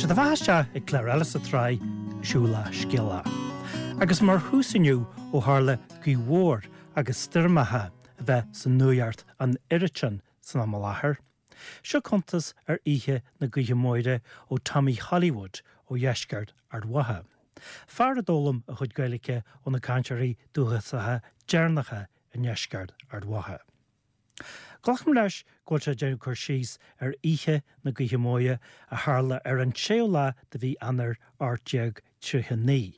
Tá siad a bheatha isteach ag clár eile sa tsraith, Siúlach Scéalach. Agus mar thús inniu ó tharla gaoth mhór agus stoirmeacha a bheith sa nuaíocht an oiread sin san am i láthair, seo cuntas ar oíche na gaoithe móire ó Tommy Hollywood ó dheisceart Ard Mhacha. Fear a d'fhoghlaim a chuid Gaeilge ó na cainteoirí dúchasacha deireanacha i ndeisceart Ard Mhacha. Glacaim leis go bhfuil sé ag déanamh cur síos ar oíche na gaoithe móire a tharla ar an séú lá de mhí Eanáir 1839,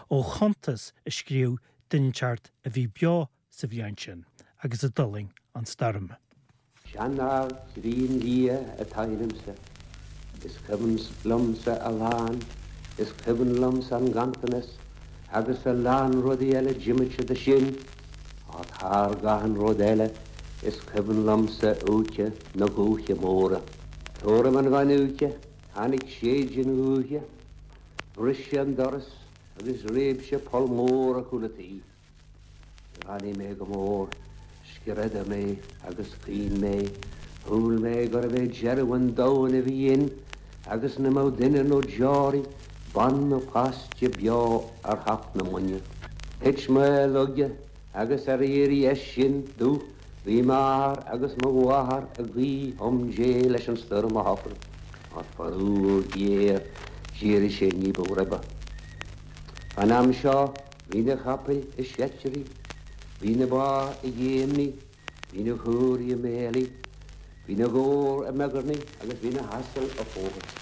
ó chuntas a scríobh duine inteacht a bhí beo sa bhliain sin agus a d'fhulaing an stoirm. Seanfhear críonliath atá ionamsa. Is cuimhin liomsa a lán, is cuimhin liomsa an ganntanas agus a lán rudaí eile diomaite de sin, ach thar achan rud eile is cuimhin liomsa oíche na gaoithe móire. Tuairim an mheán oíche tháinig séideán gaoithe, bhris sé an doras agus réab sé poll mór ar chúl an tí. Ráinig mé go mór, screadaigh mé agus chaoin mé, shúil mé gurbh é deireadh an domhain a bhí ann agus nach mbeadh duine nó deoraí, bean nó páiste beo ar theach na mbainne. Thit mé i laige agus ar éirí as sin domh bhí m'athair agus mo mháthair ag guí chum Dé leis an stoirm a shocrú. Ach faraor géar d'éirigh sé ní ba ribe. Fán am seo Bhí na capaill i seitrí, bhí na ba i ngéimní, bhí na caoirigh i mbéilí, bhí na gabhair i miogarnaigh agus bhí na hasail ag fóghairt.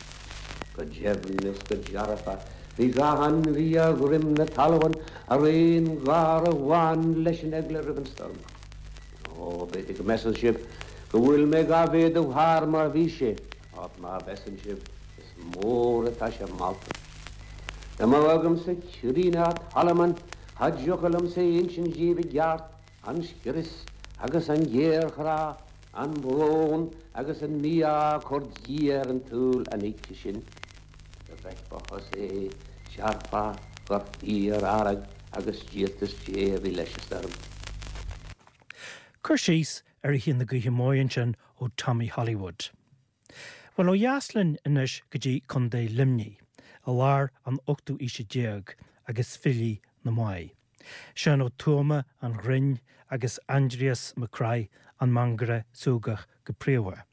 Go deimhin is go dearfa bhí gach ainmhí ar dhroim na talmhan ar aon gháir amháin leis an eagla roimh an stoirm. Ó, b'fhéidir go measann sibh go bhfuil mé dhá mhéadú thar mar bhí sé, ach má mheasann sibh, Is mór atá sé molta. Dá mbeadh agamsa croí ná talman cha dtiocfadh liomsa a insint díbh i gceart an scrios agus an ghéarchrá, an brón agus an mí-ádh a chuir Dia ar an tsaol an oíche sin. Dá bhfeicfeá thusa é, déarfá gur fíor-fhearg agus díoltas Dé a bhí leis an stoirm. Cur síos ar oíche na gaoithe móire ansin ó Tommy Hollywood. Bhuel, ó dheas linn anois go dtí Contae Luimnigh, i lár an ochtú aoise déag, agus filí na Mái. Seán Ó Tuama an ghrinn agus Aindrias Mac Craith an mangaire súgach go príomha.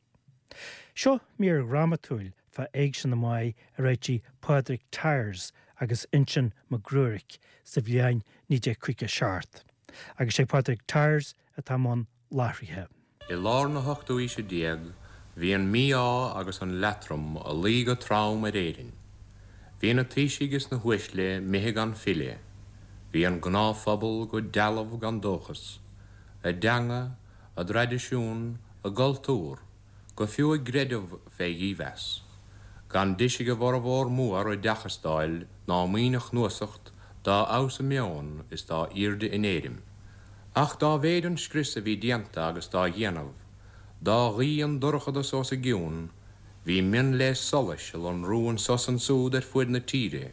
Seo mír dhrámatúil fá Éigse na Mái a réitigh Pádraig Tyers agus Uinseann Mac Ruairc sa bhliain 1957, agus sé Pádraig Tyers atá i mbun láithrithe. I lár na hochtú aoise déag bhí an mí-ádh agus an leatrom a luí go trom ar Éirinn. Bhí na taoisigh is na huaisle 'mithe gan filleadh. Bhí an gnáthphobal go dealbh gan dóchas. A dteanga, a dtraidisiún, a gcultúr, go fiú a gcreideamh fé dhímheas. Gan deis ag a bhformhór mór oideachas d'fháil ná maoin a chnuasacht dá fheabhas a meon is dá aoirde a n-éirim. Ach dá mhéid an scrios a bhí déanta agus dá dhéanamh, dá ghuí an dorchadas os a gcionn, bhí mionléas solais a lonrú anso 's ansúd ar fuaid na tíre,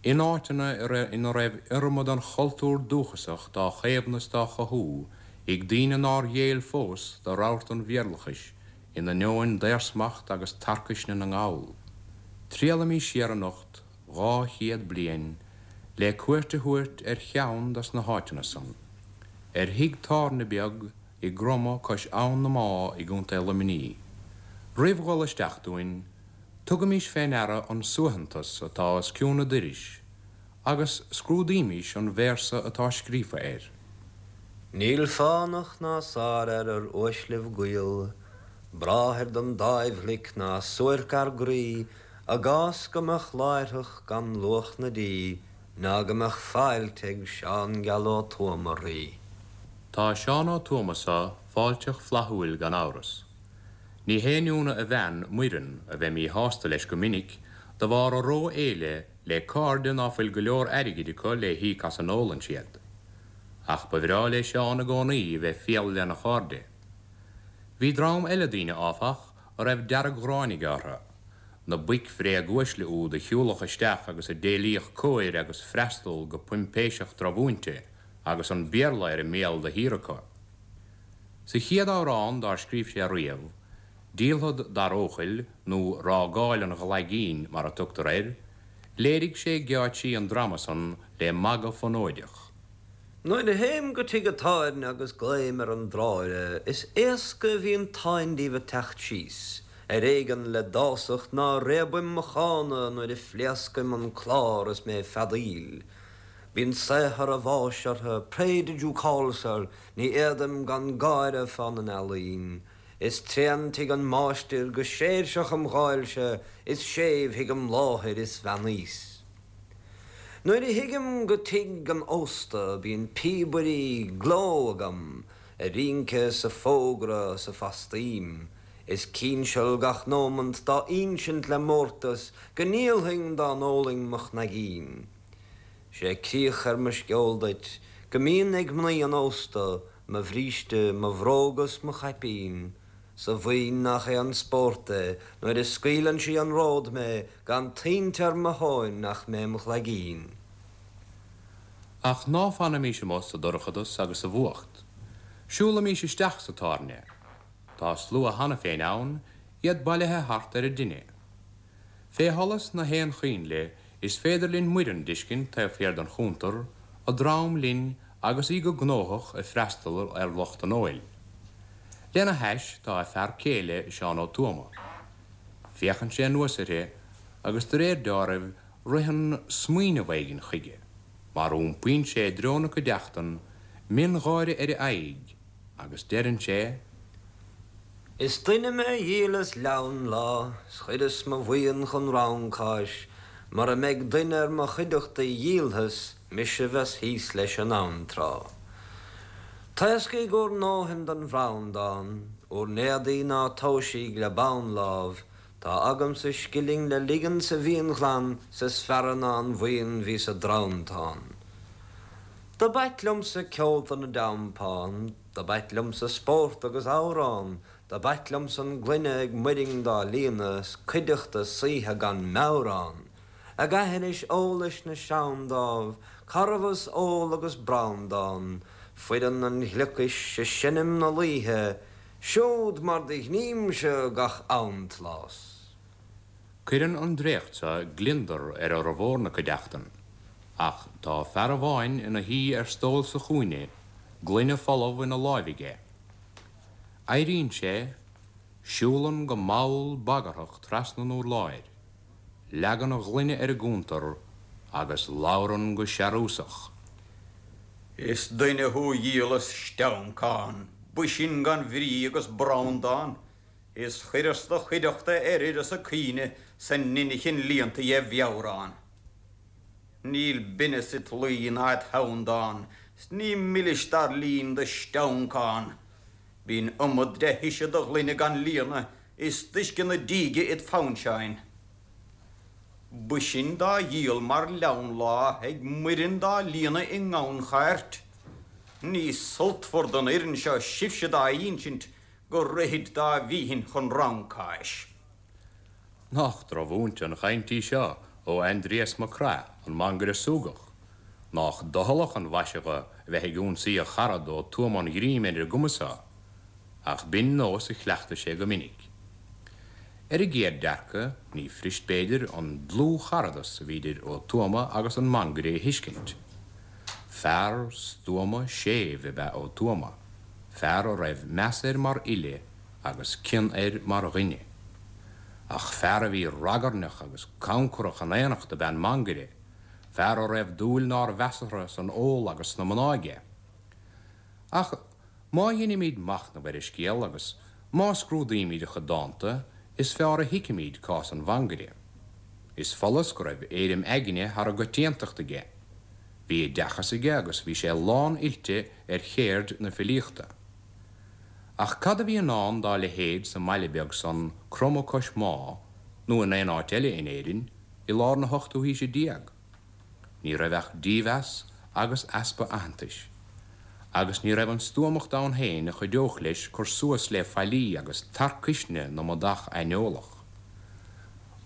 in áiteanna ina raibh iorma den chultúr dúchasach dá chaomhnú 's dá chothú ag daoine nár ghéill fós do rabhart an Bhéarlachais in ainneoin daorsmacht agus tarcaisne na nGall. Triallaimís siar anocht 200 bliain le cuairt a thabhairt ar cheann dos na háiteanna san, ar thigh tábhairne beag i gCromadh cois Abhann na Má i gContae Luimní. Roimh dhul isteach dúinn, tugaimís fé ndeara an suaitheantas atá os cionn a doiris agus scrúdaímís an véarsa atá scríofa air. Níl fánach ná sárfhear ar uaislibh gaol, Bráthair don dáimh ghlic ná suairc ár gcroí, I gcás go mbeadh láithreach gan luach na dí ná go mbeadh fáilte ag Seán Geal Ó Tuama rí. Tá Seán Ó Tuama so fáilteach flaithiúil gan amhras. Ní haon ionadh a bhean, Muireann, a bheith míshásta leis go minic de bharr a ró-fhéile le cairde ná fuil go leor airgid acu le híoc as a n-ólann siad. Ach ba bhreá le Seán i gcónaí a bheith fial lena chairde. Bhí dream eile daoine, áfach, a raibh dearg-ghráin aige orthu, na boic bhréag-uaisle úd a shiúlfadh isteach agus a d'éilíodh cóir agus freastal go poimpéiseach drochmhúinte agus an Béarla ar a mbéal de shíor acu. Sa chéad amhrán dár scríobh sé riamh, Díolfad dar Eochaill nó Rágáil an Ghlaigín mar a tugtar air, léirigh sé geáitsí an drama san le magadh fonóideach. Nuair a théim go tigh a' tábhairne agus glaoim ar an dráire is éasca a bhíonn táin díobh a' teacht síos, ar éigean le dásacht ná réabaim mo chána nuair a phléascaim an clár is mé ag feadaíl. Bíonn saothar a' bháis orthu, pray did you call, sir, ní fhéadaim gan gáire fána n-ealaín. Is tréan tigh an máistir go séirseach im dháilse is séimh thig an mháthair is bheannaíos. Nuair a thigim go tigh an ósta bíonn píobairí gleo agam a rince 's a fógra 's a fastaím. Is cinseal gach nómant dá ínsint le mórtas go ndíolfainn dá n-ólainn mo chnaigín. Sé críoch ar mo sceol duit go mbíonn ag mnaoi an ósta Mo bhríste, mo bhróga 's mo chaipín, 's a mhaoin nach é an spórt é nuair a scaoileann sí an ród mé gan toint ar mo thóin ach mé im ghlaigín. Ach ná fanaimis amuigh sa dorchadas agus sa bhfuacht. Siúlaimís isteach sa tábhairne. Tá slua cheana féin ann, iad bailithe thart ar an dtine. Fé sholas na haon choinnle is féidir linn Muireann d'fheiscint taobh thiar den chuntar, a drom linn agus í go gnóthach ag freastal ar lucht an óil. Lena hais tá a fear céile, Seán Ó Tuama. Féachann sé anuas uirthi agus de réir deáraimh ritheann smaoineamh éigin chuige, mar iompaíonn sé i dtreo na cuideachtan, miongháire ar a aghaidh, agus deireann sé. Is duine mé a dhíolas leann lá, 's chuireas mo bhuíon chun rancáis, mura mbeidh duine ar mo chuideachta a dhíolfas, mise bheas thíos leis in am tráth. Taoscaigh bhur ndóthain den bhranndán, bhur n-éadaí ná tomhaisíg le bonn lámh, tá agamsa scilling le ligean sa bhfíonghleann 's is fearra ná an bhuíon bhí sa dranntán. Do b'ait liomsa ceolta na dteampán, Do b'ait liomsa spórt agus amhrán, Do b'ait liomsa an gloine ag Muirinn dá líonadh 's cuideachta saoithe gan meabhrán, Ag aithris eolais na seandámh, carbhas, ól agus brandán, Foireann an ghliocais ag seinm na laoithe, Siúd mar do ghnímse gach amtlás. Cuireann an dréacht seo gliondar ar fhormhór na cuideachtan, ach tá fear amháin ina shuí ar stól sa chúinne, gloine folamh ina láimh aige. Éiríonn sé, siúlann go mall bagarthach trasna an urláir, leagann a ghloine ar an gcuntar agus labhrann go searúsach. Is duine thú a dhíolas steancán, b'shin gan bhrí agus brandán. Is chuireas do chuideachta ar uireasa caoine 's a n-inchinn líonta dhe mheabhrán. Níl binneas it luí ná it theanndán 's ní milis dar líon do steancán. Bíonn iomad de thuise do ghloine gan líonadh is d'uisce na díge it phoinseáin. B'shin dá dhíol mar leann lá ag Muireann dá líonadh i ngannchairt. Ní sultmhar don fhoireann seo sibhse dá ínsint go rithid dá bhíthin chun rancáis. Nach drochmhúinte an chaint í seo ó Aindrias Mac Craith, an mangaire súgach? Nách doicheallach an mhaise dho a bheith ag ionsaí a charad Ó Tuama an Ghrím ar an gcuma so? Ach b'in nós a chleachtaigh sé go minic. Ar an gcéad dearcadh, ní fuirist b'fhéidir an dlúthcharadas a bhí idir Ó Tuama agus an mangaire a thuiscint. Fear stuama séimh ab ea Ó Tuama. fear a raibh meas air mar fhile agus cion air mar dhuine. Ach fear a bhí ragairneach agus cancarach in éineacht ab ea an mangaire, fear a raibh dúil nár mheasartha san ól agus sna mná aige. Ach má dheinimíd machnamh ar an scéal agus má scrúdaímíd a chuid dánta, is feárr a thuigfimíd cás an mhangaire. Is follas go raibh éirim aigne thar an gcoitiantacht aige. Bhí oideachas aige agus bhí sé lán-oilte ar chéird na filíochta. Ach cad a bhí i ndán dá leithéid sa mbaile beag san, Cromadh Cois Má, nó in aon áit eile in Éirinn, i lár na hochtú haoise déag? Ní raibh ach dímheas agus easpa aitheantais. Agus ní raibh an stuamacht ann féin a chuideodh leis cur suas le faillí agus tarcuisne na mbodach aineolach.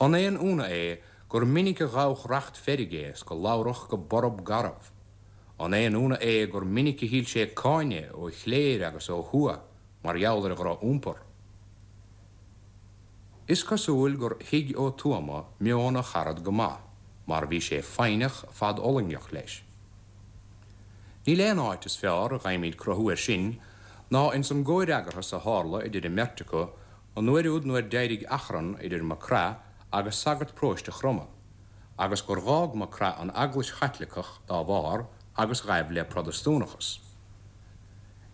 An aon ionadh é gur minic a ghabhadh racht feirge is go labhrach go borb garbh. An aon ionadh é gur minic a thuill sé cáineadh ó chléir agus ó thuath mar gheall ar a dhroch-iompar? Is cosúil gur thuig Ó Tuama meon a charad go maith, mar bhí sé foighneach fadfhulaingeach leis. Níl aon áit is fearr a gheibhimid cruthú air sin ná ins an gcomhfhreagarthas a tharla idir an mbeirt acu an uair úd nuair d'éirigh achrann idir Mac Craith agus sagart paróiste Chromtha, agus gur dh'fhág Mac Craith an Eaglais Chaitliceach dá bharr agus ghaibh le Protastúnachas.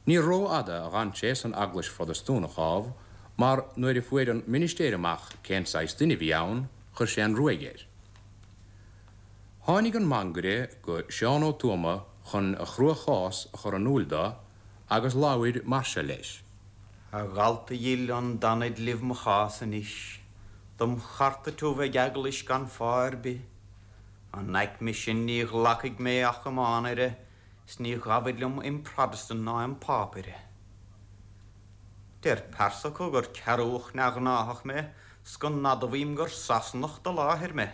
Ní rófhada a dh'fhan sé san Eaglais Phrotastúnach, ámh, mar nuair a fuair an ministéir amach cén saghas duine a bhí ann, chuir sé an ruaig air. Tháinig an mangaire go Seán Ó Tuama chun a chrua-chás a chur in úil do agus labhair mar seo leis. A dhalta dhil, an dtanfad libh mo chás anois? Dom chartadh tú bheith ag eaglais gan fáth ar bith. An aicme sin ní ghlacfaidh mé ach im aonaire 's ní ghabhfad liom im Protestant ná im Phápaire. Deir pearsa acu gur cearrbhach neamhghnáthach mé 's go n-admhaím gur Sasanach de láthair mé.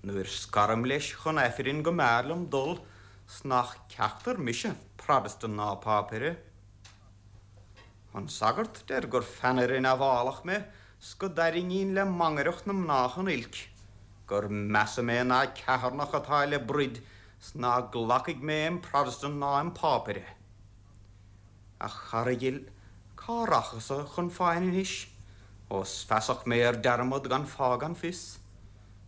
Nuair scaraim leis chun Aifrinn go mb'fhearr liom dul 's nach ceachtar mise Protestant ná Pápaire. An sagart deir gur pheannaire neamhálach mé 's go dtarraingínn le mangaireacht na mná chun oilc, gur measa mé ná ceithearnach atá le broid 's ná glacfaidh mé im Protestant ná im Phápaire. A chara dhil, cá rachadsa chun foighne anois, ós feasach mé ar dearmad gan fáth gan fios?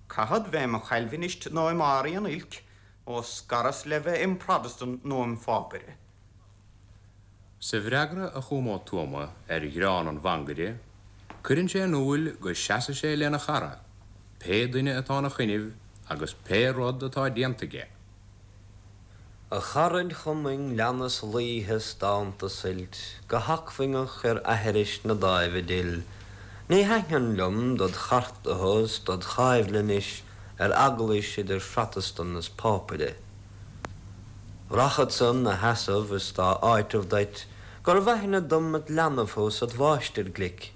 Caithfead bheith im Chailbhinist nó im fhearaí an oilc, ó scaras le bheith im Protestant nó im Phápaire. Sa bhfreagra a chum Ó Tuama ar ghreann an mhangaire, cuireann sé in úil go seasfaidh sé lena chara, pé duine atá ina choinnibh agus pé rud atá déanta aige. A charaid chumainn leanas laoithe 's dánta suilt go hacmhainneach ar aithris na dáimhe dil. Ní thaitneann liom dod chartadh 's dod choimhle anois ar eaglais idir Phrotestan is Phápaire. Rachadsa 'na sheasamh is dá áiteamh duit gurbh aithne dom it leanbh thú 's it mháistir glic,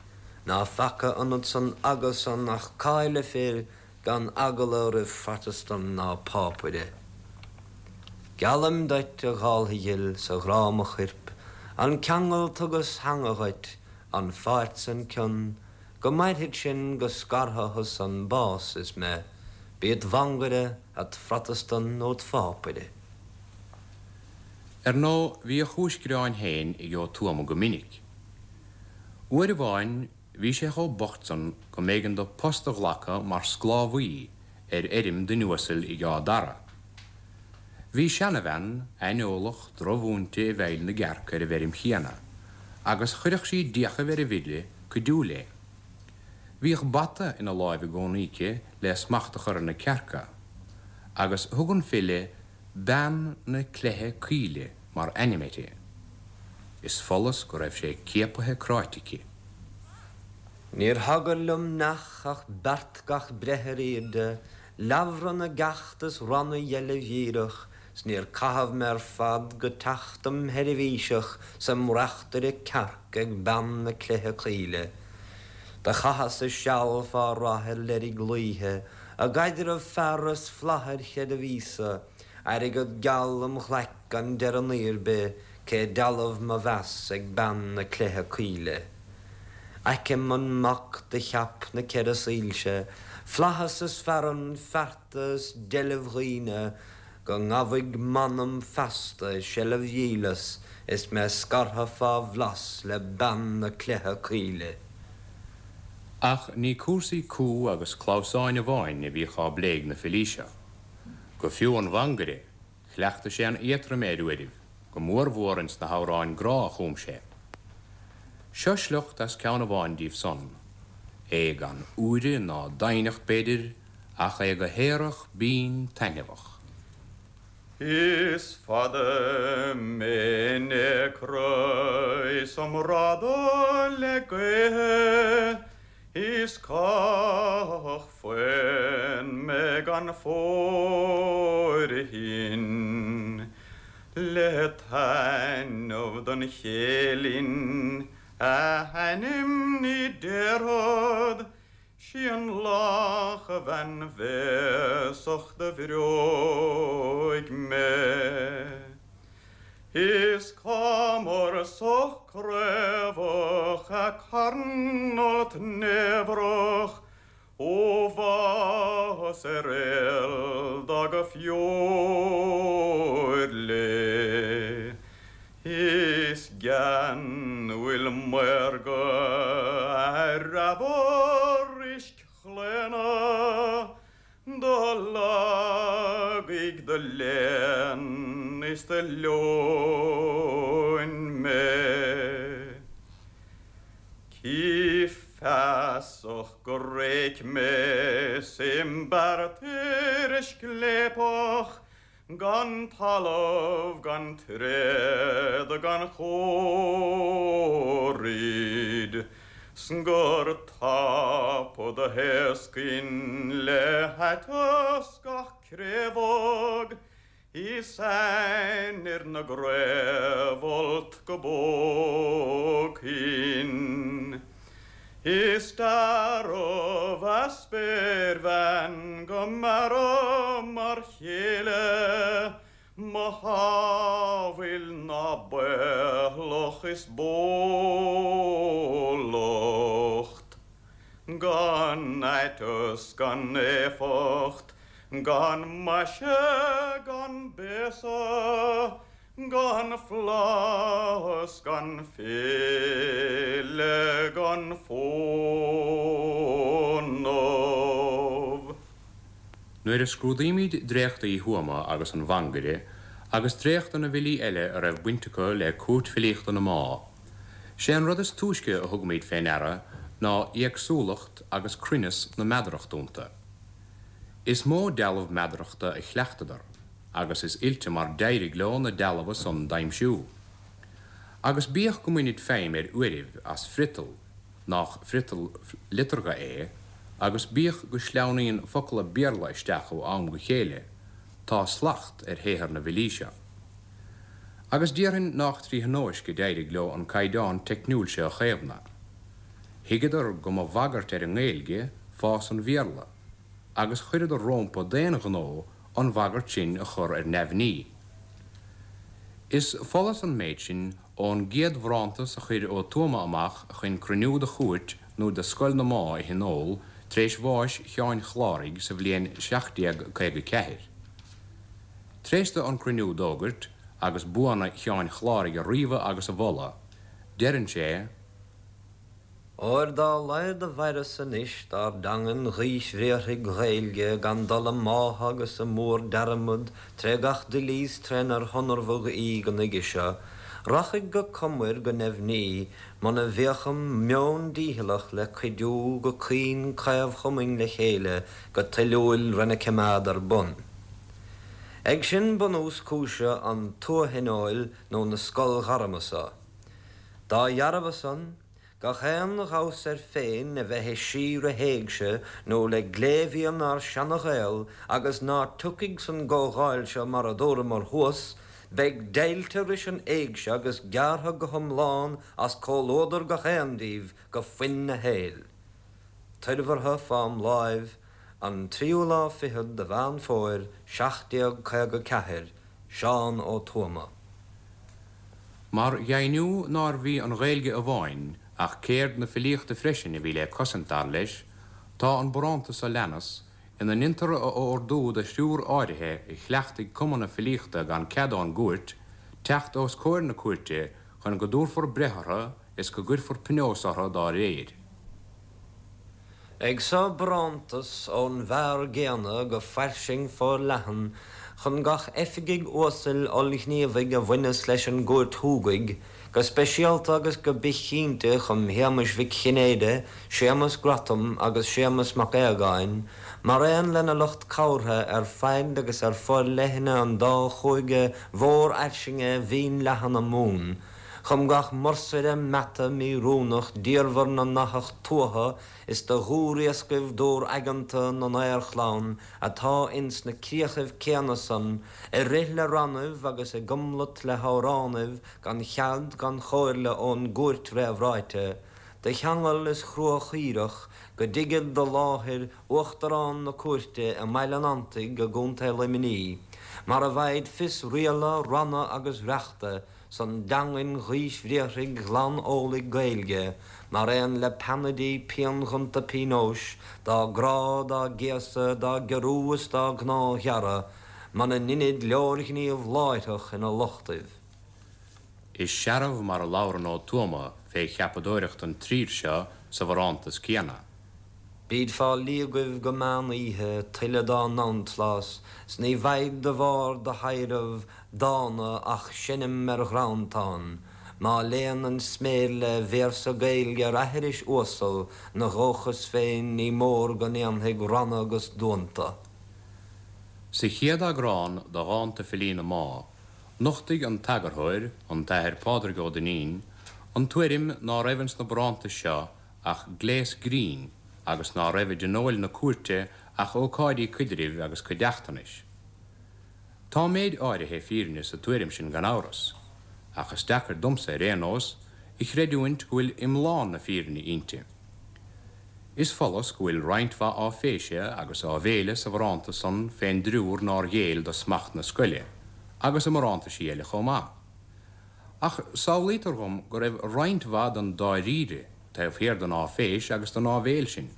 ná feaca ionat san aga san ach cáile fir gan eagla roimh Phrotestan ná Pápaire. Geallaim duit, a dháltha dhil, 's a ghrá mo choirp, an ceangal tugas cheana dhuit, an pháirt 's an cion, Go mairfidh sin go scartha thus an bás is me, bí it mhangaire, it Phrotestan nó it Phápaire. Ar ndóigh, bhí a chúis greáin féin ag Ó Tuama go minic. Uair amháin bhí sé chomh bocht san go mb'éigean dó post a ghlacadh mar sclábhaí ar fheirm duine uasail ag Áth Dara. Bhí seanabhean aineolach drochmhúinte i bhfeighil na gcearc ar an bhfeirm chéanna, agus chuireadh sí d'fhiachaibh ar an bhfile cuidiú léi. Bhíodh bata ina láimh i gcónaí aici le smacht a chur ar na cearca, agus thug an file Bean na Cleithe Caoile mar ainm uirthi. Is follas go raibh sé ciapaithe cráite aici. Níor thagair liom neach ach beart gach breith ar aoirde, Leabhra na gceacht is ranna dheilbh dhíreach, 's níor caitheamh mé ar fad go teacht im sheirbhíseach 's im reachtaire cearc ag bean na cleithe caoile. Do chaitheas-sa seal fá rath ar leirg laoithe, i gcaidreamh fear is flaith ar chreideamh Íosa, airgead geal im ghlaic gan deireadh ar bith, cé dealbh mo mheas ag bean na cleithe caoile. Aicim an mac do cheap na ceithre soilse, flaitheas is fearann fearta is deilbh dhaoine, go ngabhfaidh m'anam feasta i seilbh dhíleas is mé scartha fá bhlas le bean na cleithe caoile. Ach ní cúrsaí cú agus clamhsáin amháin a bhíodh á bplé ag na filí seo. Go fiú an mhangaire, Chleachtadh sé an éatroime ar uairibh, go mórmhór ins na hamhráin grá a chum sé. Seo sliocht as ceann amháin díobh san, é gan úire ná doimhneacht, b'fhéidir, ach é go haerach binn taitneamhach. Is fada mé in éacra is im radadh le gaotha Is cathach faon mé gan fóirithint le taitneamh don chéilin a hainm ní déarfad 'sí an lach-bhean bhéasach do bhreoigh mé. Is cá mór soch. craobhach a carn-fholt neamhrach Ó bhás ar éal do go feoir lé Is geanúil maorga a reamhar uisc chlaona Do lagaigh do léan is do leoin mé. Cí feasach gur réic mé 's im beart uiríscléipeach gan talamh gan tréad gan chomhaireamh 's gur tapa do thaoscainn le haiteas gach craobhóg Is ainnir na gcraobhfholt go bpógfainn. Is dearbh a spéirbhean go mb'fhearra mar chéile mo shamhail ná baothlach is bólacht. Gan aiteas gan éifeacht Gan maise gan béasa, gan flaitheas gan féile gan fónamh. Nuair a scrúdaímid dréachtaí Uí Thuama agus an Mhangaire, agus dréachta na bhfilí eile a raibh baint acu le Cúirt Filíochta na Má, 'sé an rud is túisce a thugaimid fé ndeara ná éagsúlacht agus cruinneas na meadarachta iontu. Is mó dealbh meadarachta a chleachtadar, agus is oilte mar d'éirigh leo na dealbha san d'aimsiú. Agus bíodh go mbainid feidhm ar uairibh as friotal nách friotal liteartha é, agus bíodh go sleamhnaíonn focla Béarla isteach ó am go chéile, tá slacht ar shaothar na bhfilí seo. Agus déarfainn nách trí thionóisc a d'éirigh leo an caighdeán teicniúil seo a chaomhnadh. Thuigeadar go mba bhagairt ar an nGaeilge fás an Bhéarla agus chuireadar rómpa d'aon ghnó an bhagairt sin a chur ar neamhní. Is follas an méid sin ón gcéad bharántas a chuir Ó Tuama amach chun cruinniú de chúirt nó de Scoil na Má a thionól tar éis bháis Sheáin Chláraigh sa bhliain 1754. Tar éis do an cruinniú d'fhógairt agus buanna Sheáin Chláraigh a ríomhadh agus a mholadh, deireann sé, Óir dá laghad a mhaireas anois dár dteangain ghaoisbhriatharthaigh Ghaeilge gan dul i mbáthadh agus i mór-dearmad tré gach doilíos trénar hionramhadh í go nuige seo, rachaidh go comair go neimhní muna bhféachaim meon dícheallach le cuidiú go caoin caomhchumainn le chéile go toiliúil rena cimeád ar bun. Ag sin bunús cúise an tuath-thionóil nó na scol-ghairme so. Dá dhearbha san, gach aon ghabhas air féin a bheith i síor-a héigse nó le glémhian ár seana-Ghael agus ná tiocfaidh san gcomhdháil seo mar adúramar thuas, beidh deighilte ris an éigse agus gearrtha go hiomlán as comhluadar gach aon díobh go foinn a shaeil. Toirbheartha fám láimh an tríú lá fichead de Mheán Fómhair 1754, Seán Ó Tuama. Mar dheimhniú nárbh í an Ghaeilge amháin ach ceird na filíochta freisin a bhí le cosaint, dar leis, tá an barántas seo leanas, ina ndeintear a ordú do thriúr áirithe a chleachtaigh cumadh na filíochta gan cead ón gcúirt, teacht os comhair na cúirte chun go dtabharfar breith orthu is go gcuirfear pionós orthu dá réir. Ag so barántas ón bhfear gcéanna go fairsing forleathan chun gach oifigigh uasail ollghníomhaigh a bhaineas leis an gCúirt Shúgaidh, go speisialta agus go bithchinnte chum Shéamais Mhic Chinnéide, Séamas Grattan agus Séamas Mac Aodhagáin, mar aon lena lucht cabhartha ar faid agus ar forleithne an dá chúige mhórfhairsinge mhínleathana Mumhan, Chum gach mursaire meata míoiriúnach d'iarmhar na n-athach tuatha is de dhúriascaibh dúr-aigeanta na ndaorchlann atá ins na críochaibh céanna san ag rith le rannaibh agus i gcomlat le hamhránaibh gan chead gan chomhairle ón gcúirt réamhráite do cheangal is chruachaoireach go dtigead do láthair Uachtarán na Cúirte i mBaile an Fhantaigh i gContae Luimní mar a bhfaighid fios riala, ranna agus reachta. san dteangain ghaoisbhriathraigh ghlan-eolaigh Gaeilge, mar aon le peannaidí pianghonta pionóis dá gcrá, dá gcéasadh, dá gciorrú is dá gcnámhghearradh, muna ndeinid leorghníomh láithreach ina lochtaibh. Is searbh mar a labhrann Ó Tuama fé cheapadóireacht an trír seo sa bharántas céanna. Bíd fá líogaibh go meán oíche, tuilleadh dá n-antlás, 's ní bheidh de bharr do thaidhreamh dána ach seinm ar dhrantán, má léann an sméirle véarsa Gaeilge ar aithris uasal 'na dhóchas féin ní mór go ndéanfaidh ranna 'gus duanta. Sa chéad eagrán de Dhánta Filí na Má, nochtaigh an t-eagarthóir, an tAthair Pádraig Ó Duinnín, an tuairim ná raibh ins na barántais seo ach gléas grinn agus ná raibh i dtionóil na cúirte ach ócáidí coidrimh agus cuideachtanais. Tá méid áirithe fírinne sa tuairim sin gan amhras, ach is deacair domsa ar aon nós a chreidiúint go bhfuil iomlán na fírinne inti. Is follas go bhfuil roinnt mhaith áiféise agus áibhéile sa bharántas san fén dtriúr nár ghéill do smacht na scoile, agus i mbarántaisí eile chomh maith. Ach samhlaítear dhom go raibh roinnt mhaith den dáiríre taobh thiar den áiféis agus den áibhéil sin.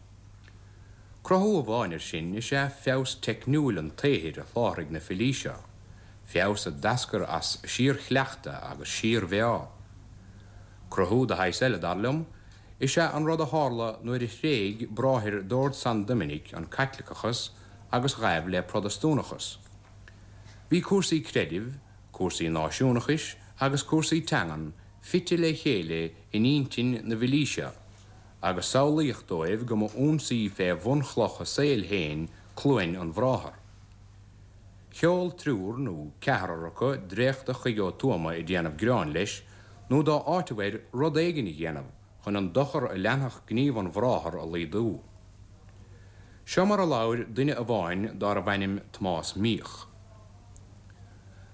Cruthú amháin air sin is ea feabhas teicniúil an tsaothair a sholáthraigh na filí seo, feabhas a d'eascair as síorchleachtadh agus síormheá. Cruthú de shaghas eile, dar liom, is ea an rud a tharla nuair a thréig bráthair d'Ord San Doiminic an Caitliceachas agus ghaibh le Protastúnachas. Bhí cúrsaí creidimh, cúrsaí náisiúnachais agus cúrsaí teangan fite le chéile in intinn na bhfilí seo, agus samhlaíodh dóibh go mba ionsaí fé bhunchloch a saoil féin cluain an bhráthar. Sheol triúr nó ceathrar acu dréachta chuig Ó Tuama ag déanamh gearáin leis nó dá áiteamh air rud éigin a dhéanamh chun an dochar a leanfadh gníomh an bhráthar a laghdú. Seo mar a labhair duine amháin dárbh ainm Tomás Míoch.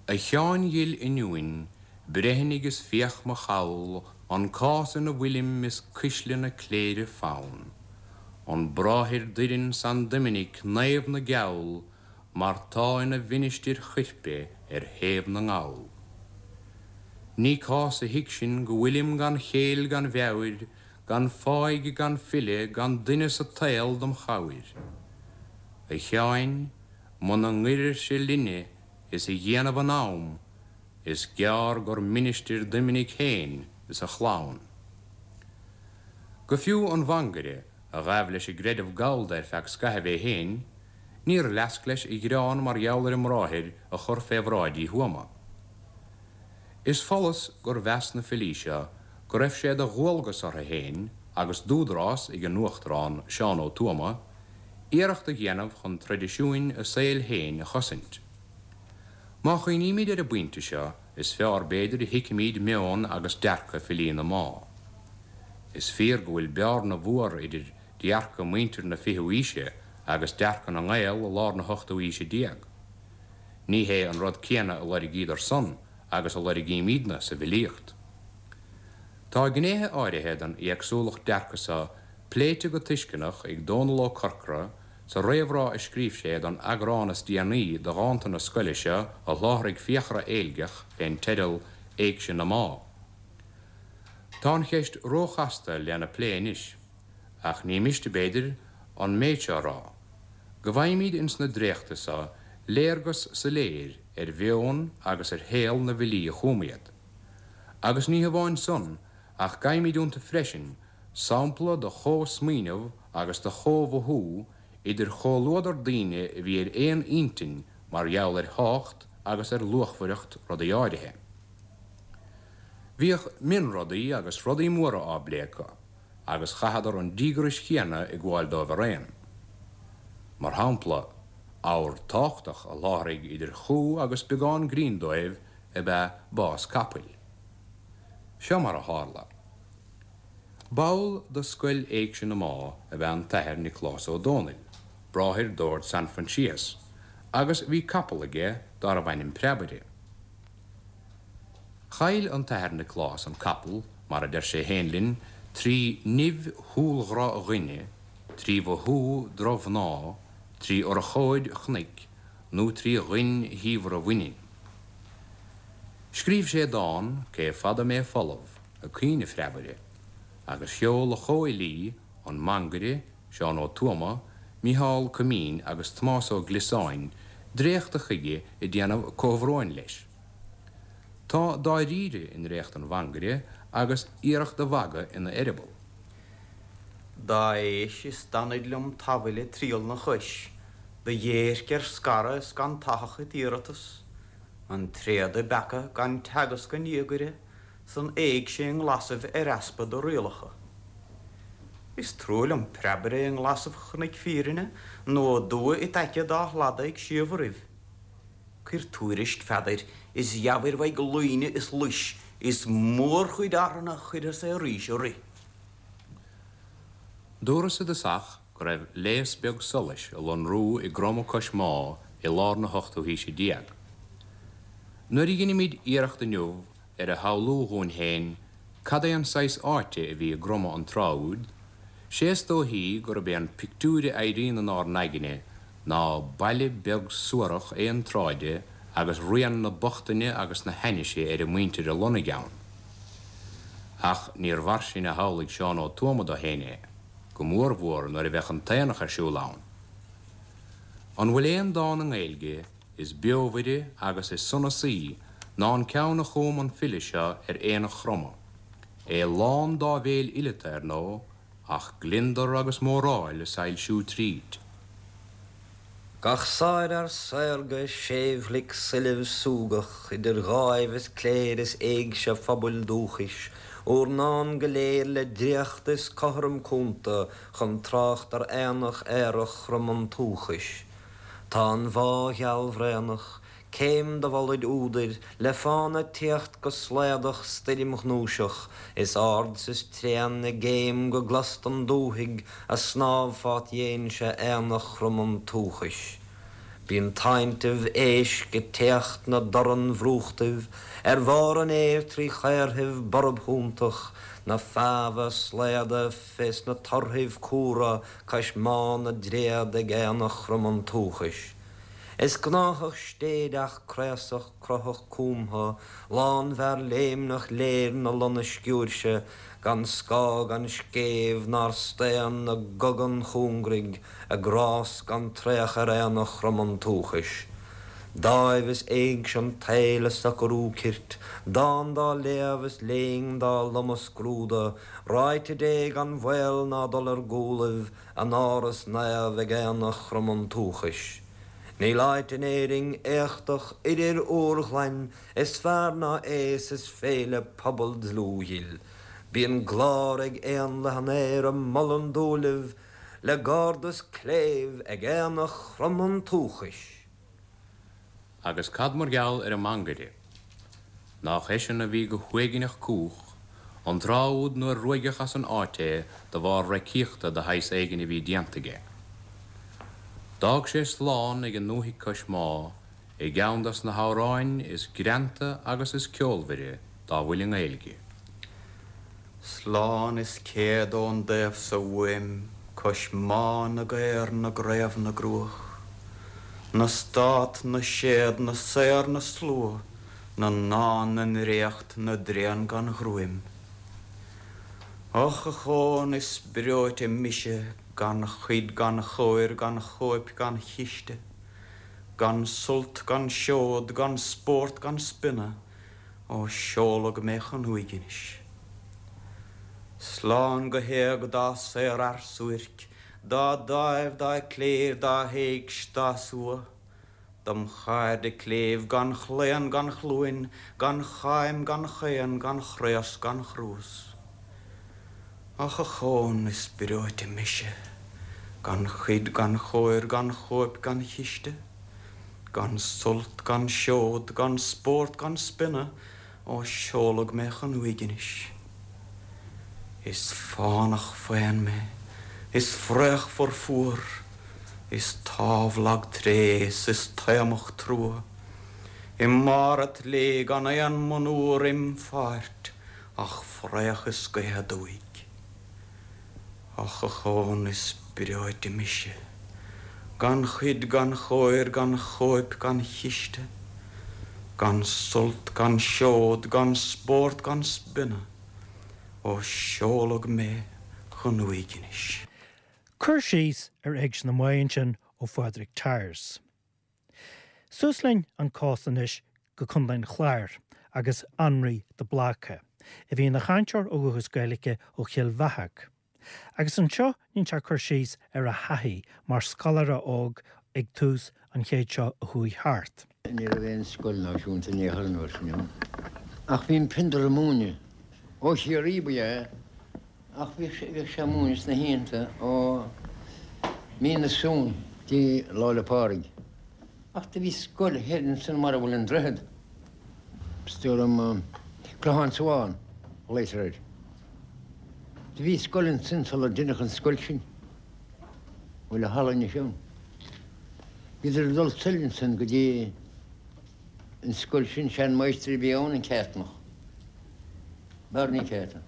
A Sheáin dhil iniúin, breithnigh is féach mo chall, an cás ina bhfuilim is cuisle na cléire fann. An bráthair d'oireann San Doiminic, naomh na gceall, mar tá ina mhinistir choirpe ar thaobh na nGall. Ní cás a thuigsin go bhfuilim gan chéill gan mheabhair, gan fáidh gan file gan duine sa tsaol dom chabhair. A Sheáin, muna ngoirfirse linne is a dhéanamh an am, is gearr gur ministir Doiminic féin is a chlann. Go fiú an Mhangaire, a ghabh leis an gcreideamh gallda ar feadh scaithimh é féin, níor leasc leis a ghearán mar gheall ar an mbráthair a chur fé bhráid Uí Thuama. Is follas gur mheas na filí seo go raibh sé de dhualgas orthu féin agus d'údarás ag a n-uachtarán, Seán Ó Tuama, iarracht a dhéanamh chun traidisiúin a saoil féin a chosaint. Má chuimhnímid ar an bpointe seo, is fearr b'fhéidir a thuigfimid meon agus dearcadh filí na Má. Is fíor go bhfuil bearna mhór idir dearcadh muintir na fichiú aoise agus dearcadh na nGael i lár na hochtú aoise déag. Ní hé an rud céanna a loirgíodar san agus a loirgímídne sa bhfilíocht. Tá gnéithe áirithe den éagsúlacht dearcaidh so pléite go tuisceanach ag Dónall Ó Corcora sa réamhrá a scríobh sé don eagrán is déanaí de dhánta na scoile seo a sholáthraigh Fiachra Éilgeach fén teideal Éigse na Má. Tá an cheist róchasta lena plé anois, ach ní miste, b'fhéidir, an méid seo a rá, go bhfaighimid ins na dréachtaí so léargas soiléir ar mheon agus ar shaol na bhfilí a chum iad. Agus ní hamháin san, ach gabhaimid iontu freisin sampla de chomhsmaoineamh agus de chomh-mhothú idir chomhluadar daoine a bhí ar aon intinn mar gheall ar thábhacht agus ar luachmhaireacht rudaí áirithe. Bhíodh mionrudaí agus rudaí móra á bplé acu, agus chaitheadar an díograis chéanna ag gabháil dóibh araon. Mar shampla, abhar tábhachtach a sholáthraigh idir chú agus beagán grinn dóibh ab ea bás capaill. Seo mar a tharla. Ball de Scoil Éigse na Má ab ea an tAthair Nioclás Ó Dónaill, bráthair d'Ord San Proinsias, agus bhí capall aige darbh ainm Preabaire. Chaill an tAthair Nioclás an capall, mar a deir sé féin linn, trí nimh shúilghrá dhuine, trí mhothú drochmhná, trí urchóid chnoic nó trí ghoin shaobhra bhaininn. Scríobh sé dán, Cé Fada Mé Folamh, ag caoineadh Phreabaire, agus sheol a chomhfhilí, an Mangaire, Seán Ó Tuama, Micheál Coimín agus Tomás Ó Gliosáin, dréachta chuige ag déanamh comhbhróin leis. Tá dáiríre i ndréacht an Mhangaire agus iarracht de mhagadh ina eireaball. Dá éis is d'anaid liom tamhail ag triall 'na chois, do dhéirc ar scaradh is gan tathach it iarratas, an tréad i bpeaca gan teagasc a ndiagaire 's an éigse i nglasaibh ar easpa do rialacha. Is trua liom preabaire i nglasaibh Chnoic Fírinne nó aduaidh it aice dá shlada ag síobharaibh. Cuir tuairisc Pheadair is gheabhair uaidh luíne is luis is mórchuid arthanna chuirfeas é arís a rith. Dúras i dtosach go raibh léas beag solais ag lonrú i gCromadh cois Má i lár na hochtú haoise déag. Nuair a dheinimid iarracht inniu ar a shamhlú dhúinn féin cad é an saghas áite a bhí i gCromadh an tráth úd, 'sé is dóichí gurb é an pictiúr a éiríonn inár n-aigne ná baile beag suarach aon-tsráide agus rian na bochtaine agus na hainnise ar an muintir a lonnaigh ann. Ach níor mhar sin a shamhlaigh Seán Ó Tuama dó féin é, go mórmhór nuair a bheadh an t-aonach ar siúl ann. An bhfuil aon dán i nGaeilge is beomhaire agus is sonasaí ná an ceann a chum an file seo ar Aonach Chromtha, é lán d'áibhéil fhileata, ar ndóigh, ach gliondar agus móráil ag soilsiú tríd. Gach sárfhear saorga séimhghlic soilbh súgach idir dháimh is cléir is éigse phobail dúchais, úr ndán go léir le dréacht is cothrom cúnta chun trácht ar aonach aerach Chrom an tsúchais. Tá an mhá ghealbhraonach, Céim do mholaid údair, le fána tíocht go slaodach stoirmghnúiseach, is ard 's is tréan i gcéim go gclos don dúthaigh a snámh fát dhéinse aonach Chrom an tsúchais. Bíonn táinntibh éisc ag téacht 'na dtorann-bhrúchtaibh ar bharr an fhéir trí chaorthaibh borb shuantach, na feámha slaoda fé sna torthaibh cumhra cois má na dtréad ag aonach Chrom an tsúchais. Is gnáthach stéideach craosach cruthach cumtha, lánmhear léimneach léir na lonna sciúirse, gan scáth gan scéimh nár staon na gcogan chúngraigh ag rás gan traoch ar aonach Chrom an tsúchais. Dáimh is éigse an tsaoil a socarú cirt, dán dá léamh is léing dá lomadh scrúdadh, ráite Dé gan bhaol ná dul ar gcúlaibh, A n-áras naomh ag aonach Chrom an tsúchais. Níl áit in Éirinn éachtach oirir úrghlain is fearr ná é 's is féile pobail dlúthghil. Bíonn glár ag éanlaith an aeir a molann dúilimh le gardas cléibh ag aonach Chrom an tsúchais. Agus cad mar gheall ar an Mangaire? Nách eisean a bhí go huaigneach cúch, an tráth úd nuair ruaigeadh as an áit é de bharr reicíochta de shaghas éigin a bhí déanta aige. D'fhág sé slán ag an ndúthaigh cois Má i gceann dos na hamhráin is greanta agus is ceolmhaire dá bhfuil i nGaeilge. Slán is céad ón dtaobh so uaim cois má na gcaor na gcraobh na gcruach, na stát na séad na saor na slua na ndán na ndréacht na dtréan gan ghruaim. Och a Chón is breoite mise gan chuid gan chóir gan chóip gan chiste, gan sult gan seod gan spórt gan spionnadh, Ó seoladh mé chun uaignis. Slán go héag dá saorfhear suairc, dá dáimh, dá chléir, dá héigse, dá sua, dom chairde cléibh gan chlaon gan chluain, gan cháim gan chaon, gan chraos gan chruas. Och a Chón is breoite mise, gan chuid gan chóir gan chóip gan chiste. Gan sult, gan seod, gan spórt, gan spionnadh, ó seoladh mé chun uaignis. Is fánach faon mé, is fraochmhar fuar, is támh lag tréith 's is taomach trua, i mbarr a' tslí gan aon monuar im pháirt ach fraoch is gaoth aduaidh. Och a Chón is breoite mise, gan chuid gan chóir gan chóip gan chiste. Gan sult, gan seod, gan spórt, gan spionnadh, ó seoladh mé chun uaignis. Cur síos ar Éigse na Maighe ansin ó Phádraig Tyers. Suas linn an cósta anois go Contae an Chláir agus Annraoi de Bláca, a bhí ina chainteoir ó dhúchas Gaeilge ó Chill Bheathach. Agus anseo déanann sé cur síos ar a thaithí mar scoláire óg ag tús an chéid seo a chuaigh thart. Ní raibh aon scoil náisiúnta in aon chor an uair sin ann. Ach bhí an Piondair ag múineadh. Ó Chiarraí ba ea é, ach bhíodh sé ag múineadh sna hoícheanta ó mí na Samhna dtí Lá 'le Pádraig. Ach do bhí scoil thoir ansan mar a bhfuil an droichead, is dóigh liom, Clochán Sabhán a ghlaotar air. Do bhí scoil ansin sular deineadh an scoil sin, a bhfuil an halla anois ann. Bhíodar ag dul soir ansin go dtí an scoil sin, sean-mháistir a bhí ann, an Ceartnach, Barney Ceartan.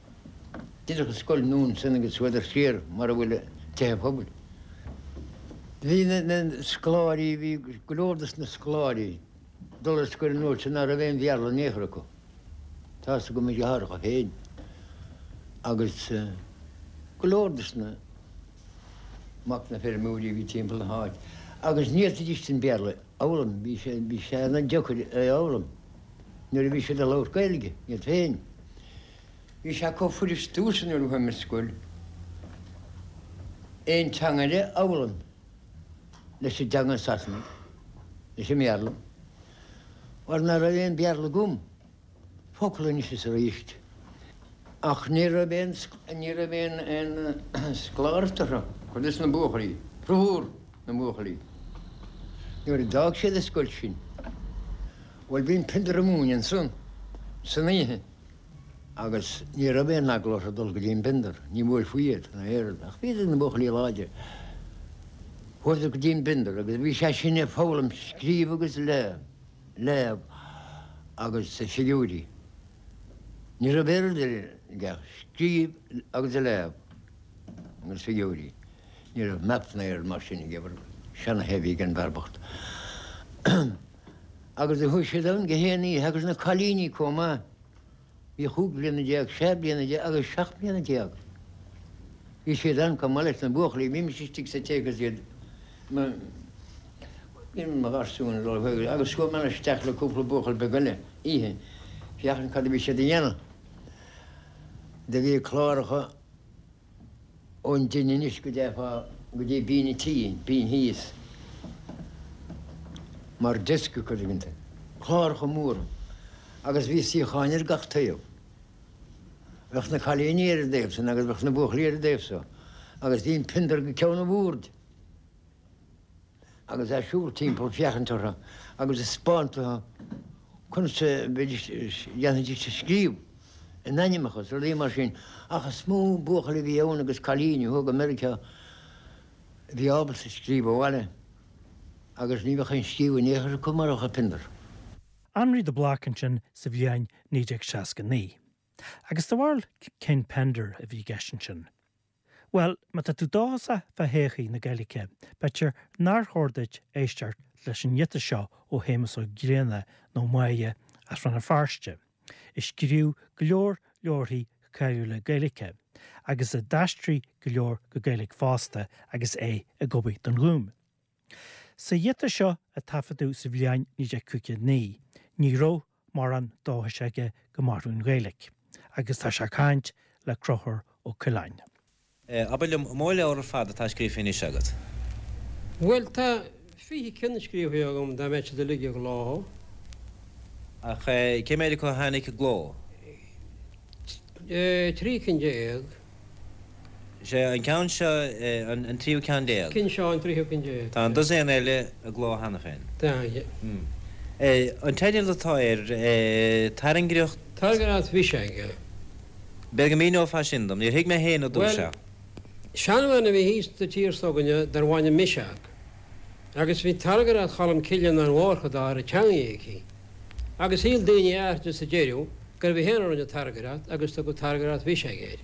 Deineadh an scoil nua ansin agus chuadar siar mar a bhfuil tithe pobail. Bhí na scoláirí, bhí go leor dos na scoláirí ag dul ar scoil an uair sin ná raibh aon Bhéarla in aon chor acu. Tá's agam mo dheartháireacha féin agus go leor dos na mac na feirmeoirí a bhí timpeall na háite agus ní fhéadfaidís an Béarla a fhoghlaim, bhí sé bhí sé an-deacair é a fhoghlaim nuair a bhí siad ag labhairt Gaeilge iad féin. Bhí sé chomh fuirist domhsa nuair a chuaigh mé ar scoil aon teanga eile a fhoghlaim leis an dteanga Sasanaigh, leis an mBéarla. Mar ná raibh aon Bhéarla agam, focal anois is arís. Ach ní raibh aon, ní raibh aon, aon scoláireacht orthu, cuid des na buachaillí, formhór na mbuachaillí. Nuair a d'fhág siad an scoil sin, bhuel bhí an Piondair ag múineadh ansan, san oíche. Agus ní raibh aon eagla orthu dul go dtí an bPiondair, ní bhuailfí iad, ná aon rud, ach bhíodar na buachaillí láidre. Chuadar go dtí an bPiondair agus bhí sé sin ag foghlaim scríobh agus léamh agus figiúirí. Ní raibh aon rud eile aige ach scríobh agus léamh agus figiúirí. Ní raibh maths ná aon rud mar sin aige, seanathair a bhí ag an bhfear bocht. Agus do chuaigh siad ann gach aon oíche agus na cailíní comh maith. Bhí chúig bliana déag, sé bliana déag agus seacht mbliana déag. Bhí siad ann comh maith leis na buachaillí. Bhímis istigh sa tigh agus iad mo bhí mo gharsún ag dul chuige agus chuaigh mé isteach le cúpla buachaill beag eile oíche féachaint cad a bhí siad a dhéanamh. Do bhí cláracha. ón dtine anois go dtéifeá go dtí binn an tí, binn thíos, mar desk acu tuigeann tú. Cláracha móra agus bhí suíocháin ar gach taobh. Bheadh na cailíní ar an dtaobh san agus bheadh na buachaillí ar an dtaobh so agus bhí an Piondar go ceann an bhoird agus é ag siúl timpeall féachaint orthu agus ag 'speáint dóibh conas a bheidís, dhéanfaidís a scríobh. a n-ainmneacha is rudaí mar sin, ach is mó buachaillí a bhí ann agus cailíní a chuaigh go Meiriceá a bhí ábalta scríobh abhaile agus ní bheadh aon scríobh in aon chor acu murach an Piondar. Annraoi de Bláca ansin sa bhliain 1969. Agus do bharúil cén Pender a bhí i gceist ansin? Bhuel, má tá tú dóchasach fá thodhchaí na Gaeilge, b'fhéidir nár chóir duit éisteacht leis an ghiota seo ó Shéamus Ó Grianna, nó Máighe, as Rann na Feirste, a scríobh go leor leabharthaí cáiliúla Gaeilge, agus a d'aistrigh go leor go Gaeilge fosta agus é ag obair don Ghúm. Sa ghiota seo a taifeadadh sa bhliain 1959, ní raibh mórán dóchais aige go mairfeadh an Ghaeilge, agus tá sé ag caint le Conchúr Ó Coileáin. Abair liom, an mó leabhar ar fad atá scríofa anois agat? Bhuel, tá 20 ceann scríofa agam, dá mbeadh siad uilig i gcló. Ach cé mhéad acu a tháinig i gcló? 13 cinn. Sé an ceann seo an tríú ceann déag. Ceann seo an tríú ceann déag. Tá an dosaen eile i gcló cheana féin. Tá. An teideal atá air, Tairngreacht. Tairngreacht Bhiseach. B'fhéidir go míneofá sin dom. Níor thuig mé féin i dtús é. Bhuel, seanbhean a bhí thíos sa tír s'againne darbh ainm Miseach. Agus bhí Tairngreacht Cholm Cille an-mhór dá raibh teangaidh aici. Agus shíl daoine áithride sa deireadh gurbh í féin a rinne Tairngreacht agus tugadh Tairngreacht Bhiseach air.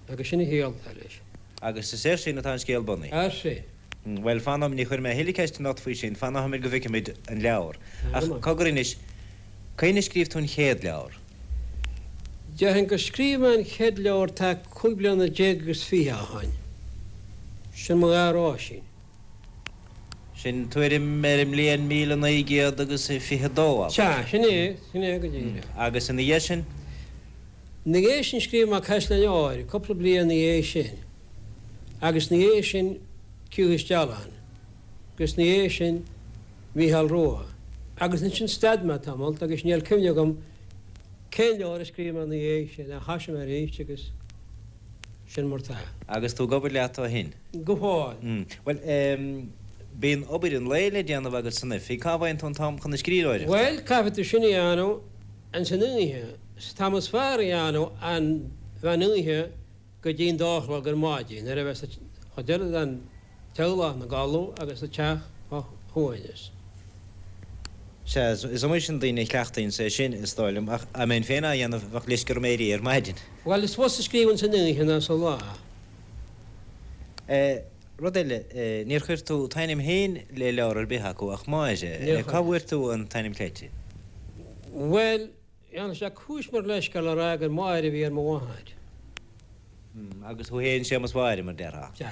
Agus sin a chiall atá leis. Agus is air sin atá an scéal bunaithe. Air sin. Bhuel, fan nóiméad, ní chuirfidh mé a thuilleadh ceisteanna ort faoi sin, fan nóiméad go bhfeicfimid an leabhar. Ach cogar anois, Cathain a scríobh tú an chéad leabhar? Déarfainn gur scríobh mé an chéad leabhar tá 25 bliana ó shoin. Sin Mo Ghadhar Oisín. Sin tuairim ar an mbliain 1922, abair. Sea, sin é, sin é go díreach. Agus ina dhiaidh sin? Ina dhiaidh sin scríobh mé Caisleáin Óir, cúpla bliain ina dhiaidh sin. Agus ina dhiaidh sin Ciumhais Dealán. Agus ina dhiaidh sin Mícheál Rua. Agus ansin stad mé tamalt agus níl cuimhne agam cén leabhar a scríobh mé ina dhiaidh sin ach thoisigh mé arís agus sin mar tá. Agus tú ag obair leat ó shin? Go fóill. Bhuel, bíonn obair an lae le déanamh agat san oifig, cá bhfaigheann tú an t-am chun na scríbhneoireachta? Bhuel, caithfidh tú sin a dhéanamh ins an oíche. Is an t-am is fearr a dhéanamh an mheán oíche go dtí an dá a chlog ar maidin nuair a bheas an chuid eile den teaghlach ina gcodladh agus an teach fá shuaimhneas. Sea, is iomaí sin duine a chleachtaíonns é sin, is dóigh liom, ach dá mbeinn féin á dhéanamh, bheadh leisce orm éirí ar maidin. Bhuel, is fusa scríobh ins an oíche ná sa lá. Rud eile, níor chuir tú t'ainm féin le leabhar ar bith acu ach Máire. Níor chuir. Cá bhfuair tú an t-ainm cleite? Bhuel, dhéanfadh sé cúis mar leithscéal a rá gur Máire a bhí ar mo mháthair. Agus thú féin Séamus Mháire, mar déarfá. Sea.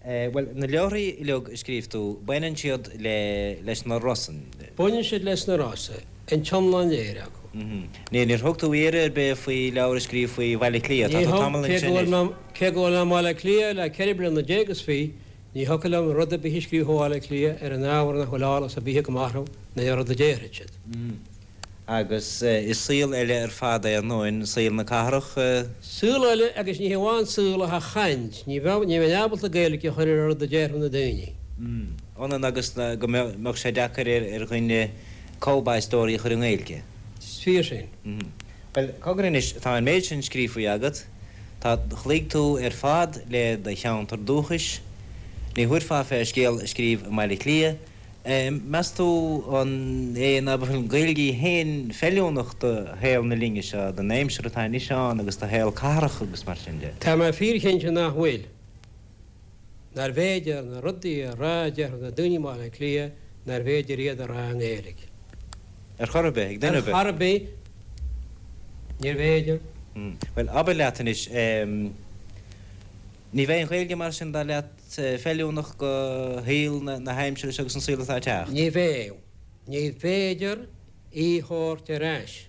Bhuel, na leabharthaí uilig a scríobh tú, baineann siad le, leis na Rosann. Baineann siad leis na Rosa, an t-iomlán léir acu. Níor, níor thug tú iarraidh ar bith faoi leabhar a scríobh faoi Bhaile Átha Cliath, tá tú tamall ansin anois. Cé go bhfuil mé i mBaile Átha Cliath le 14 bliana is fiche, ní thiocfadh liom rud ar bith a scríobh faoi Bhaile Átha Cliath ar an ábhar nach bhfuil eolas ar bith agam orthu ná ar rud a déarfaidh siad. Agus is saol eile ar fad é ar ndóin, saol na cathrach. Saol eile agus ní hamháin saol ach an chaint. Ní bheadh, ní bheinn ábalta Gaeilge a chur ar an rud a déarfadh na daoine. Ionann agus go mbeadh sé deacair ar dhuine Cowboy Story a chur i nGaeilge. Is fíor sin. Bhuel, cogar anois, tá an méid sin scríofa agat, tá, chloígh tú ar fad le do cheantar dúchais, ní thabharfá fé scéal a scríobh i mBaile Átha Cliath, Meas tú an é nach bhfuil an Ghaeilge í féin feiliúnach do shaol na linne seo, don aimsir atá anois ann agus do shaol cathrach agus mar sin de? Tá mé fíorchinnte nach bhfuil. Nárbh fhéidir na rudaí a rá a déarfadh na daoine i mBaile Átha Cliath, nárbh fhéidir iad a rá i nGaeilge. Ar chor ar bith, ag duine ar bith. Ar chor ar bith, níorbh fhéidir. Bhuel, abair leat anois, ní bheidh an Ghaeilge mar sin, dar leat, feiliúnach do shaol na haimsire seo agus an saol atá ag teacht? Ní bheidh. Ní féidir í a thabhairt ar ais.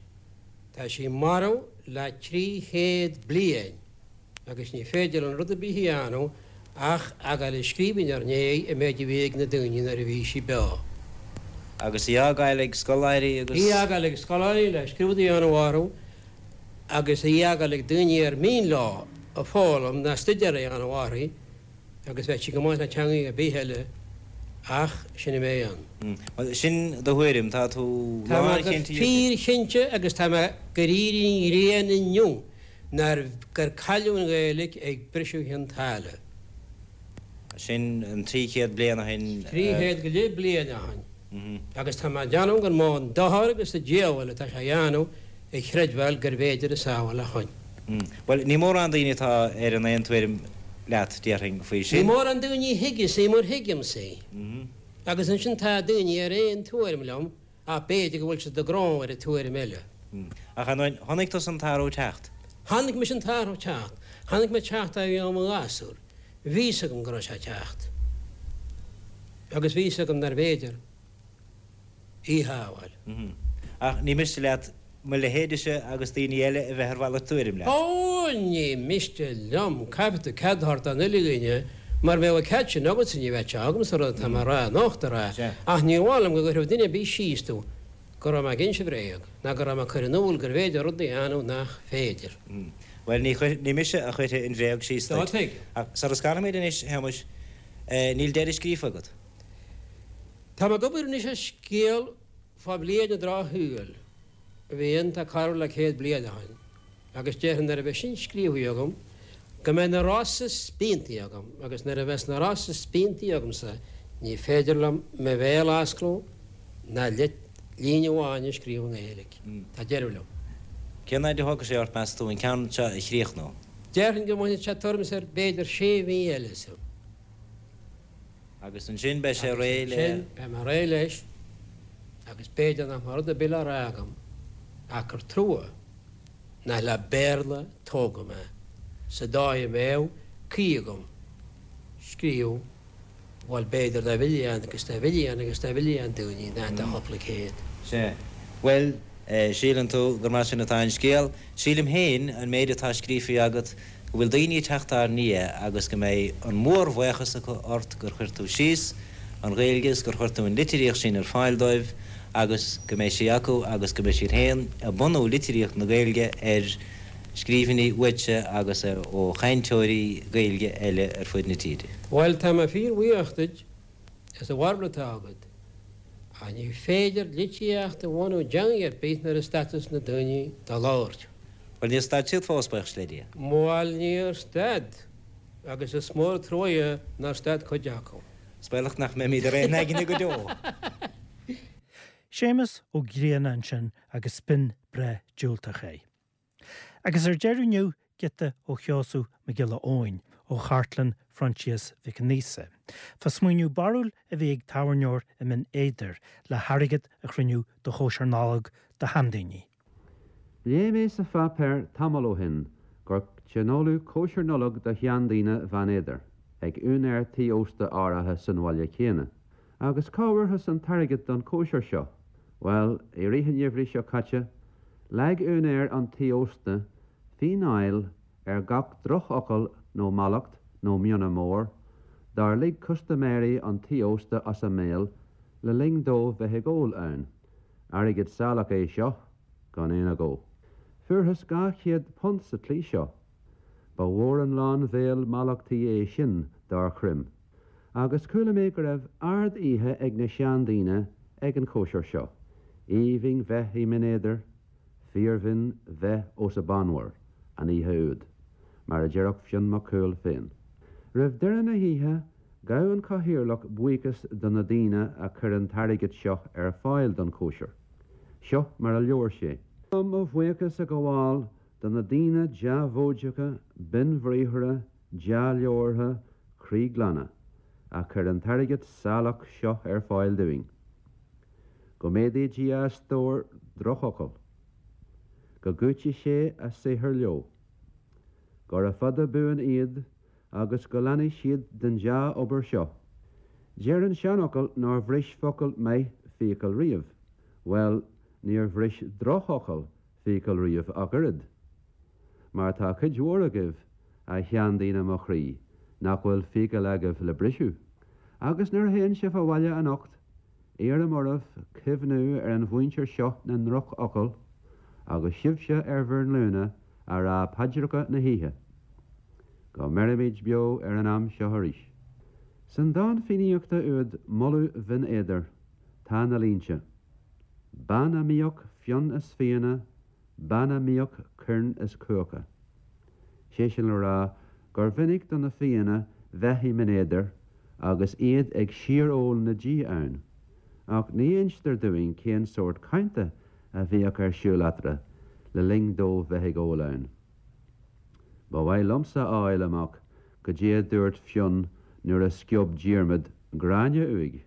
Tá sí marbh le 300 bliain agus ní féidir linn rud ar bith a dhéanamh ach a ghabháil ag scríobh inár ndiaidh an méid a bhí ag na daoine nuair a bhí sí beo. Agus í a fhágáil ag scoláirí agus. Í a fhágáil ag scoláirí le scrúdú a dhéanamh orthu agus í a fhágáil ag daoine ar mian leo a foghlaim ná stuidéar a dhéanamh uirthi agus bheadh sí go maith le teangaidh ar bith eile ach sin a bheidh ann. Bhuel, sin do thuairim, tá tú Tá mé go lánchinnte. fíorchinnte agus tá mé gur éirigh an ghrian inniu nár gur cailleadh an Ghaeilge ag briseadh Chionn tSáile. Sin an 300 bliain ó shin. 300 go leith bliain ó shin. Agus tá mé ag déanamh gur mó an dochar agus an diabhal atá sé a dhéanamh a chreidbheáil gurbh fhéidir a sábháil ó shoin. Bhuel, ní mórán daoine atá ar an aon tuairim leat, déarfainn, faoi sin. Ní mórán daoine a thuigeas í mar thuigimse í. Agus ansin tá daoine ar aon tuairim liom ach b'fhéidir go bhfuil siad ag grom ar an tuairim eile. Ach ar ndóigh, chonaic tusa an t-athrú ag teacht. Chonaic mise an t-athrú ag teacht. Chonaic mé teacht é ó bhí mé i mo ghasúr. Bhí fhios agam go raibh sé ag teacht. Agus bhí fhios agam nárbh fhéidir í a shábháil. Ach ní miste leat mo leithéidese agus daoine eile a bheith ar mhalairt tuairim leat. Ó, ní miste liom. Caithfidh tú cead a thabhairt don uile dhuine. Mura mbeadh an cead sin agatsa ní bheadh sé agamsa an rud atá mé a rá anocht a rá. Ach ní mhaith liom go gcuirfeadh duine ar bith síos domh go raibh mé ag inse bréag, ná go raibh mé ag cur in iúl gurbh fhéidir rud a dhéanamh nach féidir. Bhuel, ní chuir, ní mise a chuirfidh an bhréag síos duit. Tuigim. Ach sara scarfaimid anois, a Shéamuis, níl deireadh scríofa agat? Tá mé ag obair anois ar scéal fá bhliain an drochshaoil a bhí ann tá corradh le 100 bliain ó shin agus déarfainn nuair a bheidh sin scríofa agam go mbeidh na Rosa spíontaí agam agus nuair a bheas na Rosa spíontaí agamsa ní féidir liom mo bhéal a osclú ná líne amháin a scríobh i nGaeilge. Tá deireadh liom. Cén fhaid a thógfaidh sé ort, meas tú, an ceann seo a chríochnú? Déarfainn go mbainfidh sé tuairim is ar b'fhéidir sé mhí eile asam. Agus ansin beidh sé réidh le. Agus ansin beidh mé réidh leis. Agus b'fhéidir nach mbeadh rud ar bith le rá agam ach gur trua nach le Béarla a tógadh mé, sa dóigh a mbeadh caoi agam scríobh, bhuel, b'fhéidir do mhilliún agus do mhilliún agus do mhilliún daoine, nach do chúpla céad. Sea. Bhuel, síleann tú gur mar sin atá an scéal. Sílim féin, an méid atá scríofa agat, go bhfuil daoine ag teacht ár ndiaidh agus go mbeidh an mórbhuíochas acu ort gur chuir tú síos an Ghaeilge is gur chuir tú an litríocht sin ar fáil dóibh agus go mbeidh sí acu agus go mbeidh siad féin ag bunú litríocht na Gaeilge ar scríbhinní uaitse agus ó chainteoirí Gaeilge eile ar fud na tíre. Bhuel, tá mé fíor-bhuíoch duit as an bharúil atá agat, ach ní féidir litríocht a bhunú i dteangaidh ar bith nuair a stadas na daoine dá labhairt. Bhuel, níor stad siad fós, buíochas le Dia. Bhuel, níor stad, agus is mór an truaighe nár stad cuid acu. Is baolach nach mbeimid ar aon aigne go deo. Séamus Ó Grianna ansin agus b'in breith diúltach é. Agus ar deireadh inniu, giota ó Sheosamh Mac Giolla Eoin ó Chartlann Phroinsias Mhic an Íosa, fá smaoineamh barrúil a bhí ag tábhairneoir i mBinn Éadair le hairgead a chruinniú do chóisir Nollag do sheandaoine. Léigh mé sa pháipéar tamall ó shin gur tionóladh cóisir Nollag do sheandaoine Bheann Éadair ag úinéir tí ósta áirithe san bhaile céanna. Agus cá bhfuarthas an t-airgead don chóisir seo? Bhuel, i rith an gheimhridh seo caite, leag úinéir an tí ósta fíneáil ar gach drochfhocal nó mallacht nó mionna mór dár lig custaiméirí an tí ósta as a mbéal le linn dóibh bheith ag ól ann. Airgead salach é seo, gan aon agó. Fuarthas £200 sa tslí seo. Ba mhór an lán bhéal mallachtaí é sin dár chroim. Agus chuala mé go raibh ard-oíche ag na seandaoine ag an chóisir seo. Aoibhinn bheith i mBinn Éadair, fíorbhinn bheith os a bannmhar, an oíche úd, mar a déarfadh Fionn Mac Cumhaill féin. Roimh deireadh na hoíche, Ghabh an cathaoirleach buíochas do na daoine a chuir an t-airgead seo ar fáil don chóisir. Seo mar a labhair sé. Mo bhuíochas a ghabháil do na daoine dea-mhóideacha, binnbhriathartha, dea-labhartha, croíghlana, a chuir an t-airgead salach seo ar fáil dúinn. Go méadaí Dia a stór drochfhocal. Go gcúití sé a saothar leo. Gura fada buan iad agus go leanfaidh siad den dea-obair seo. Deir an seanfhocal nár bhris focal maith fiacail riamh. Bhuel, níor bhris drochfhocal fiacail riamh ach oiread. Mar tá cuid mhór agaibh, a sheandaoine mo chroí, nach bhfuil fiacail agaibh le briseadh. Agus nuair a théann sibh abhaile anocht, Iarraim oraibh cuimhniú ar an mhuintir seo na ndrochfhocal agus sibhse ar bhur nglúine a rá paidreacha na hoíche. Go mbeirimid beo ar an am seo arís. San dán Fiannaíochta úd Moladh Bhinn Éadair tá na línte, Bean a mbíodh fionn is fianna, bean a mbíodh coirn is cuacha. Sé sin le rá gur mhinic do na Fianna bheith i mBinn Éadair agus iad ag síor-ól na dí ann, ach ní instear dúinn cén sórt cainte a bhíodh ar siúl eatarthu le linn dóibh bheith ag ól ann. Ba mhaith liomsa a fháil amach goidé a dúirt Fionn nuair a sciob Diarmaid Gráinne uaidh.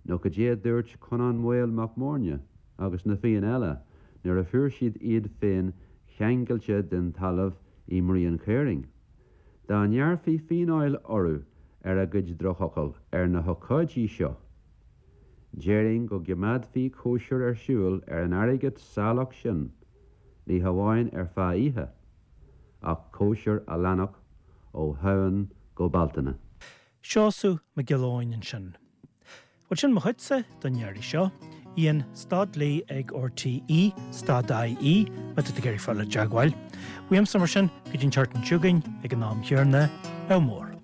Nó goidé a dúirt Conán Maol Mac Móirne agus na Fianna eile nuair a fuair siad iad féin ceangailte den talamh i mBruíon Chaorainn. Dá ngearrfaí fíneáil orthu ar a gcuid drochfhocal ar na hócáidí seo, déarfainn go gcoimeádfaí cóisir ar siúl ar an airgead salach sin, ní hamháin ar feadh oíche, ach cóisir a leanfadh ó Shamhain go Bealtaine. Seosamh Mac Giolla Eoin ansin. Bhuel, sin mo chuidse don iarraidh seo. Ian stad Lee ag RTÉ stad IE má tá tú ag iarraidh fáil i dteagmháil. Uaimse mar sin go dtí an tseachtain seo chugainn ag an am chéanna, ádh mór.